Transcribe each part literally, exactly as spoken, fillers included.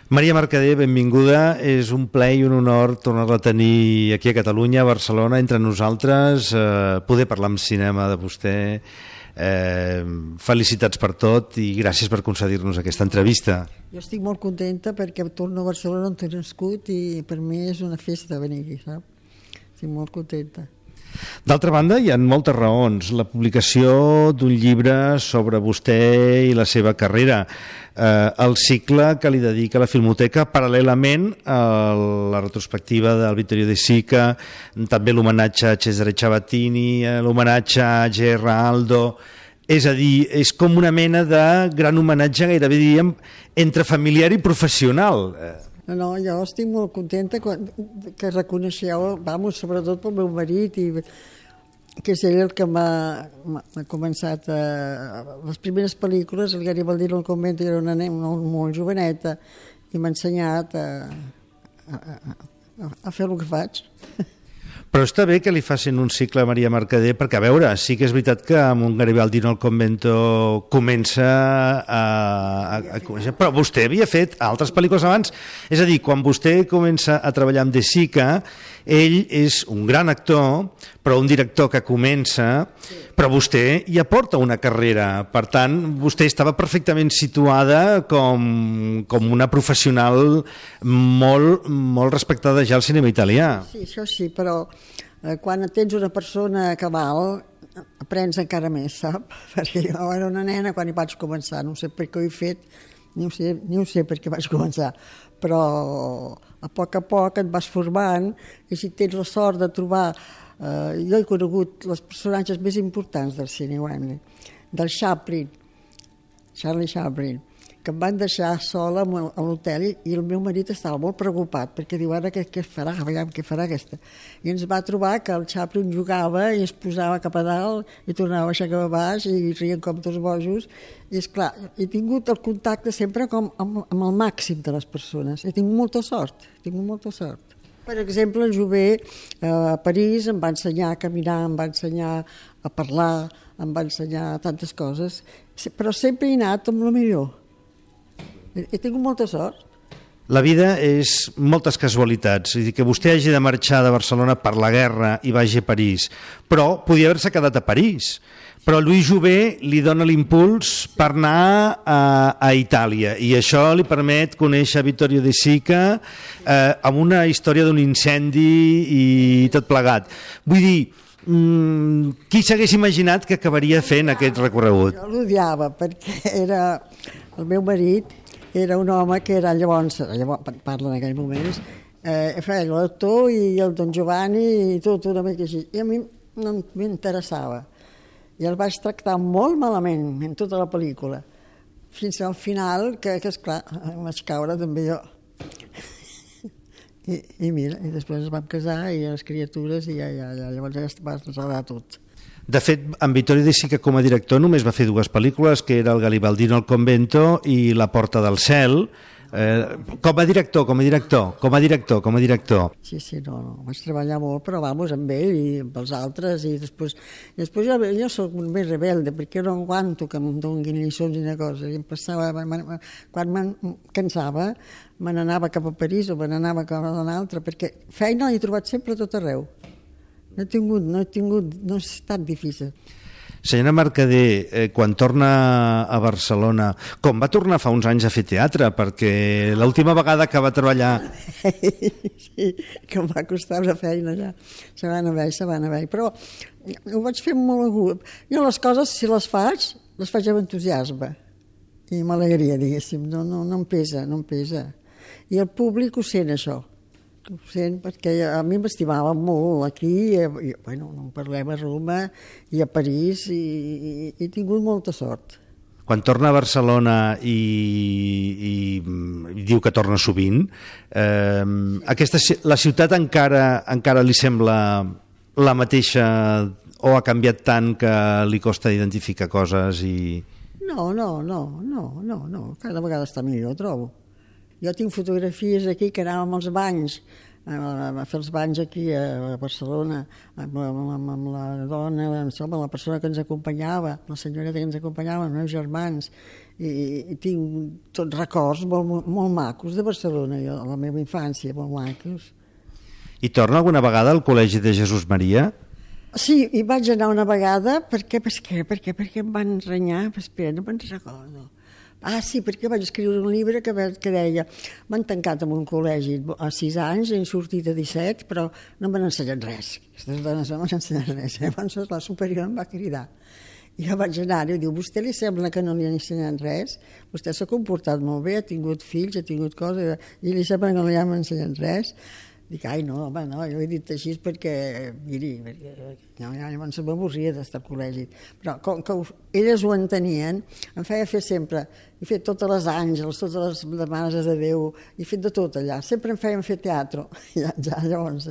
Maria Mercader, benvinguda. És un plaer i un honor tornar-la a tenir aquí a Catalunya, a Barcelona, entre nosaltres, eh, poder parlar amb cinema de vostè. Eh, felicitats per tot i gràcies per concedir-nos aquesta entrevista. Jo estic molt contenta perquè torno a Barcelona on he nascut i per mi és una festa venir aquí, saps? Estic molt contenta. D'altra banda, hi ha moltes raons. La publicació d'un llibre sobre vostè i la seva carrera, eh, el cicle que li dedica la Filmoteca, paral·lelament a la retrospectiva del Vittorio De Sica, també l'homenatge a Cesare Ciabattini, l'homenatge a Geraldo. És a dir, és com una mena de gran homenatge, gairebé diríem, entre familiar i professional. No, no, jo estic molt contenta quan, que reconeixeu, vamos, sobretot pel meu marit, i, que és ell el que m'ha començat a, les primeres pel·lícules. El Garibaldi al convent era una nena molt, molt joveneta i m'ha ensenyat a, a, a, a fer el que faig. Però està bé que li facin un cicle a Maria Mercader, perquè, a veure, sí que és veritat que amb un Garibaldi al convento comença a, a, a conèixer, però vostè havia fet altres pel·lícules abans. És a dir, quan vostè comença a treballar amb De Sica, ell és un gran actor, però un director que comença, però vostè hi aporta una carrera. Per tant, vostè estava perfectament situada com, com una professional molt, molt respectada ja al cinema italià. Sí, això sí, però eh, quan tens una persona que val, aprens encara més, sap? Perquè jo era una nena quan hi vaig començar, no sé per què ho he fet, ni ho sé, ni ho sé per què vaig començar, però a poc a poc et vas formant i si tens la sort de trobar... Eh, jo he conegut els personatges més importants del cine, del Chaplin, Charlie Chaplin, que em van deixar sola a l'hotel i el meu marit estava molt preocupat perquè diu, ara què, què farà, veiem què farà aquesta. I ens va trobar que el Chaplin jugava i es posava cap a dalt i tornava a baixar cap a baix i rien com tots bojos. I esclar, he tingut el contacte sempre com amb, amb el màxim de les persones. He tingut molta sort, he tingut molta sort. Per exemple, el Jouvet eh, a París em va ensenyar a caminar, em va ensenyar a parlar, em va ensenyar tantes coses, però sempre he anat amb el millor. He, he tingut molta sort. La vida és moltes casualitats, és a dir, que vostè hagi de marxar de Barcelona per la guerra i vagi a París, però podia haver-se quedat a París. Però Louis Jouvet li dona l'impuls per anar a, a Itàlia i això li permet conèixer Vittorio De Sica eh, amb una història d'un incendi i tot plegat. Vull dir, mmm, qui s'hagués imaginat que acabaria fent aquest recorregut? Jo l'odiava perquè era el meu marit, era un home que era llavors, llavors parla en aquells moments, eh, feia l'actor i el Don Giovanni i tot una mica així. I a mi no m'interessava. I el vaig tractar molt malament en tota la pel·lícula, fins al final, que, que esclar, em vaig caure també jo. I, i mira, i després ens vam casar i les criatures i ja, ja, ja llavors ja es va enredar tot. De fet, en Vittorio De Sica com a director només va fer dues pel·lícules, que era el Garibaldino al convento i La porta del cel. Eh, com a director, com a director, com a director, com a director. Sí, sí, no, no, vaig treballar molt, però vamos, amb ell i amb els altres, i després, i després jo, jo soc més rebelde, perquè no aguanto que em donin lliçons i una cosa, i em passava, quan me'n cansava, me n'anava cap a París o me n'anava cap a un altre, perquè feina l'he trobat sempre a tot arreu. No he tingut, no he tingut, no ha estat difícil. Senyora Mercader, eh, quan torna a Barcelona, com va tornar fa uns anys a fer teatre? Perquè l'última vegada que va treballar... Sí, que em va costar una feina allà. Se van haver, se van haver. Però ho vaig fer molt agut. Jo les coses, si les faig, les faig amb entusiasme. I amb alegria, diguéssim. No, no, no em pesa, no em pesa. I el públic ho sent, això. Ho sent, perquè a mi m'estimava molt aquí, i, bueno, no en parlem a Roma i a París, i, i, i he tingut molta sort. Quan torna a Barcelona i, i, i diu que torna sovint, eh, aquesta, la ciutat encara, encara li sembla la mateixa o ha canviat tant que li costa identificar coses? I... No, no, no, no, no, no, cada vegada està millor, trobo. Jo tinc fotografies aquí que anàvem als banys a fer els banys aquí a Barcelona, amb, amb, amb la dona, amb la persona que ens acompanyava, la senyoreta que ens acompanyava, els meus germans, i, i tinc tots records molt, molt macos de Barcelona, jo, la meva infància, molt macos. I torna alguna vegada al Col·legi de Jesús Maria? Sí, hi vaig anar una vegada, perquè, per què, per què, perquè em van renyar, espera, no me'n recordo. Ah, sí, perquè vaig escriure un llibre que, que deia m'han tancat en un col·legi a sis anys, he sortit a disset, però no m'han ensenyat res. Aquestes dones no m'han ensenyat res. Llavors la superior em va cridar. I jo vaig anar i diu, vostè li sembla que no li han ensenyat res? Vostè s'ha comportat molt bé, ha tingut fills, ha tingut coses, i li sembla que no li han ensenyat res? Dic, ai, no, home, no, jo he dit així perquè, miri, perquè no, ja llavors m'avorria d'estar al col·legi. Però com que elles ho entenien, em feia fer sempre, he fet totes les àngels, totes les demanes de Déu, he fet de tot allà, sempre em feien fer teatre, ja, ja llavors...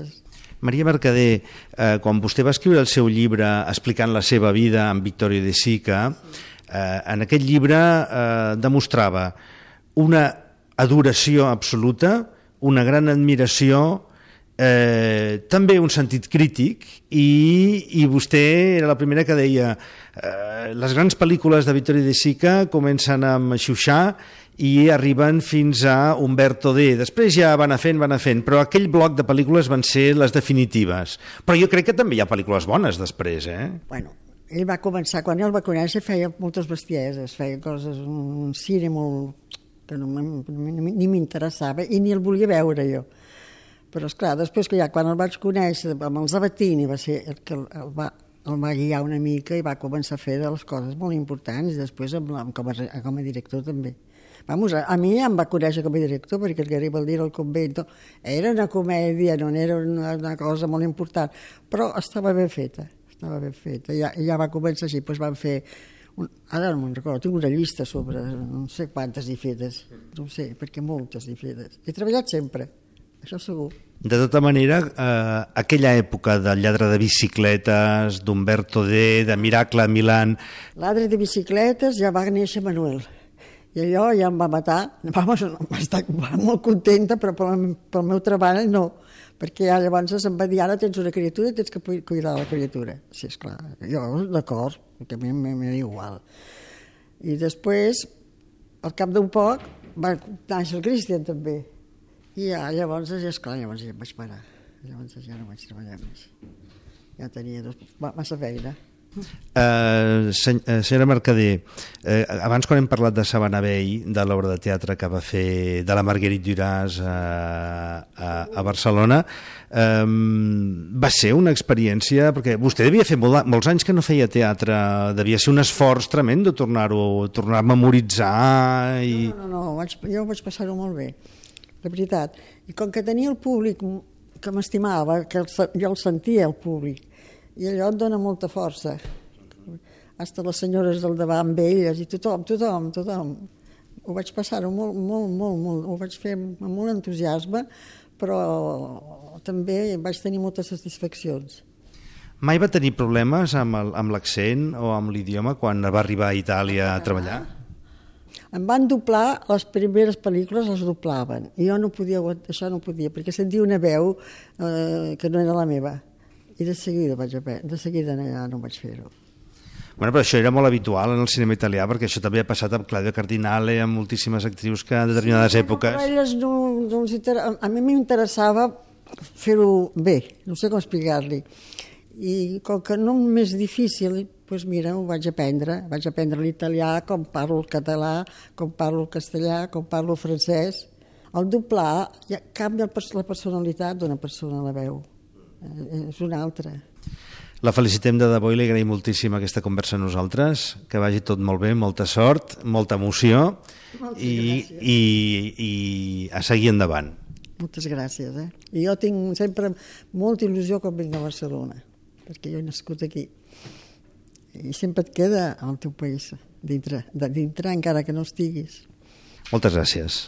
Maria Mercader, eh, quan vostè va escriure el seu llibre explicant la seva vida amb Vittorio De Sica, eh, en aquest llibre eh, demostrava una adoració absoluta, una gran admiració, eh, també un sentit crític, i, i vostè era la primera que deia eh, les grans pel·lícules de Vittorio De Sica comencen amb Xuxà i arriben fins a Umberto D. Després ja van a fent, van a fent, però aquell bloc de pel·lícules van ser les definitives. Però jo crec que també hi ha pel·lícules bones després, eh? Bueno, ell va començar, quan ell va conèixer feia moltes bestieses, feia coses, un cine molt... que no, ni m'interessava i ni el volia veure jo. Però, esclar, després que ja quan el vaig conèixer amb el Sabatini va ser el que el va, el va guiar una mica i va començar a fer de les coses molt importants i després amb, amb, com, a, com a director també. Vamos, a, a mi ja em va conèixer com a director perquè el Garibaldi al convento era una comèdia, no era una, una cosa molt important, però estava ben feta, estava ben feta. I ja, ja va començar així, doncs van fer... Un, ara no me'n recordo, tinc una llista sobre no sé quantes hi fetes, no ho sé, perquè moltes hi fetes. He treballat sempre, això segur. De tota manera, eh, aquella època del lladre de bicicletes, d'Umberto D, de Miracle a Milán... L'adre de bicicletes ja va néixer Manuel, i allò ja em va matar. Vamos, va estar molt contenta, però pel, pel meu treball no, perquè ja llavors em va dir, ara tens una criatura i tens que cuidar la criatura. Sí, esclar, jo d'acord, perquè a mi m'era igual. I després, al cap d'un poc, va néixer el Cristian també. I ja, llavors, ja, esclar, llavors ja em vaig parar. Llavors ja no vaig treballar més. Ja tenia dos, massa feina. Uh, sen senyora Mercader, uh, abans quan hem parlat de Sabana Vell, de l'obra de teatre que va fer de la Marguerite Duras a, a, a Barcelona, um, va ser una experiència, perquè vostè devia fer molt, molts anys que no feia teatre, devia ser un esforç tremendo tornar-ho, tornar a memoritzar i... No, no, no, vaig, jo vaig passar-ho molt bé, de veritat, i com que tenia el públic que m'estimava, que el, jo el sentia el públic, i allò et dona molta força. Hasta les senyores del davant amb elles, i tothom, tothom, tothom. Ho vaig passar-ho molt, molt, molt, molt, ho vaig fer amb molt entusiasme, però també vaig tenir moltes satisfaccions. Mai va tenir problemes amb l'accent o amb l'idioma quan va arribar a Itàlia a treballar? Em van doblar, les primeres pel·lícules les doblaven, i jo no podia, això no podia, perquè sentia una veu eh, que no era la meva. I de seguida vaig aprendre, de seguida ja no vaig fer-ho. Bueno, però això era molt habitual en el cinema italià, perquè això també ha passat amb Claudia Cardinale, amb moltíssimes actrius que en determinades sí, èpoques... Però elles no, no inter... A mi m'interessava fer-ho bé, no sé com explicar-li. I com que no és més difícil, doncs mira, ho vaig aprendre. Vaig aprendre l'italià, com parlo el català, com parlo el castellà, com parlo el francès. El doblar ja canvia la personalitat d'una persona a la veu. És una altra. La felicitem de debò i li agraïm moltíssim aquesta conversa a nosaltres, que vagi tot molt bé, molta sort, molta emoció i, i, i a seguir endavant. Moltes gràcies. Eh? I jo tinc sempre molta il·lusió quan vinc a Barcelona, perquè jo he nascut aquí. I sempre et queda al teu país, dintre, dintre encara que no estiguis. Moltes gràcies.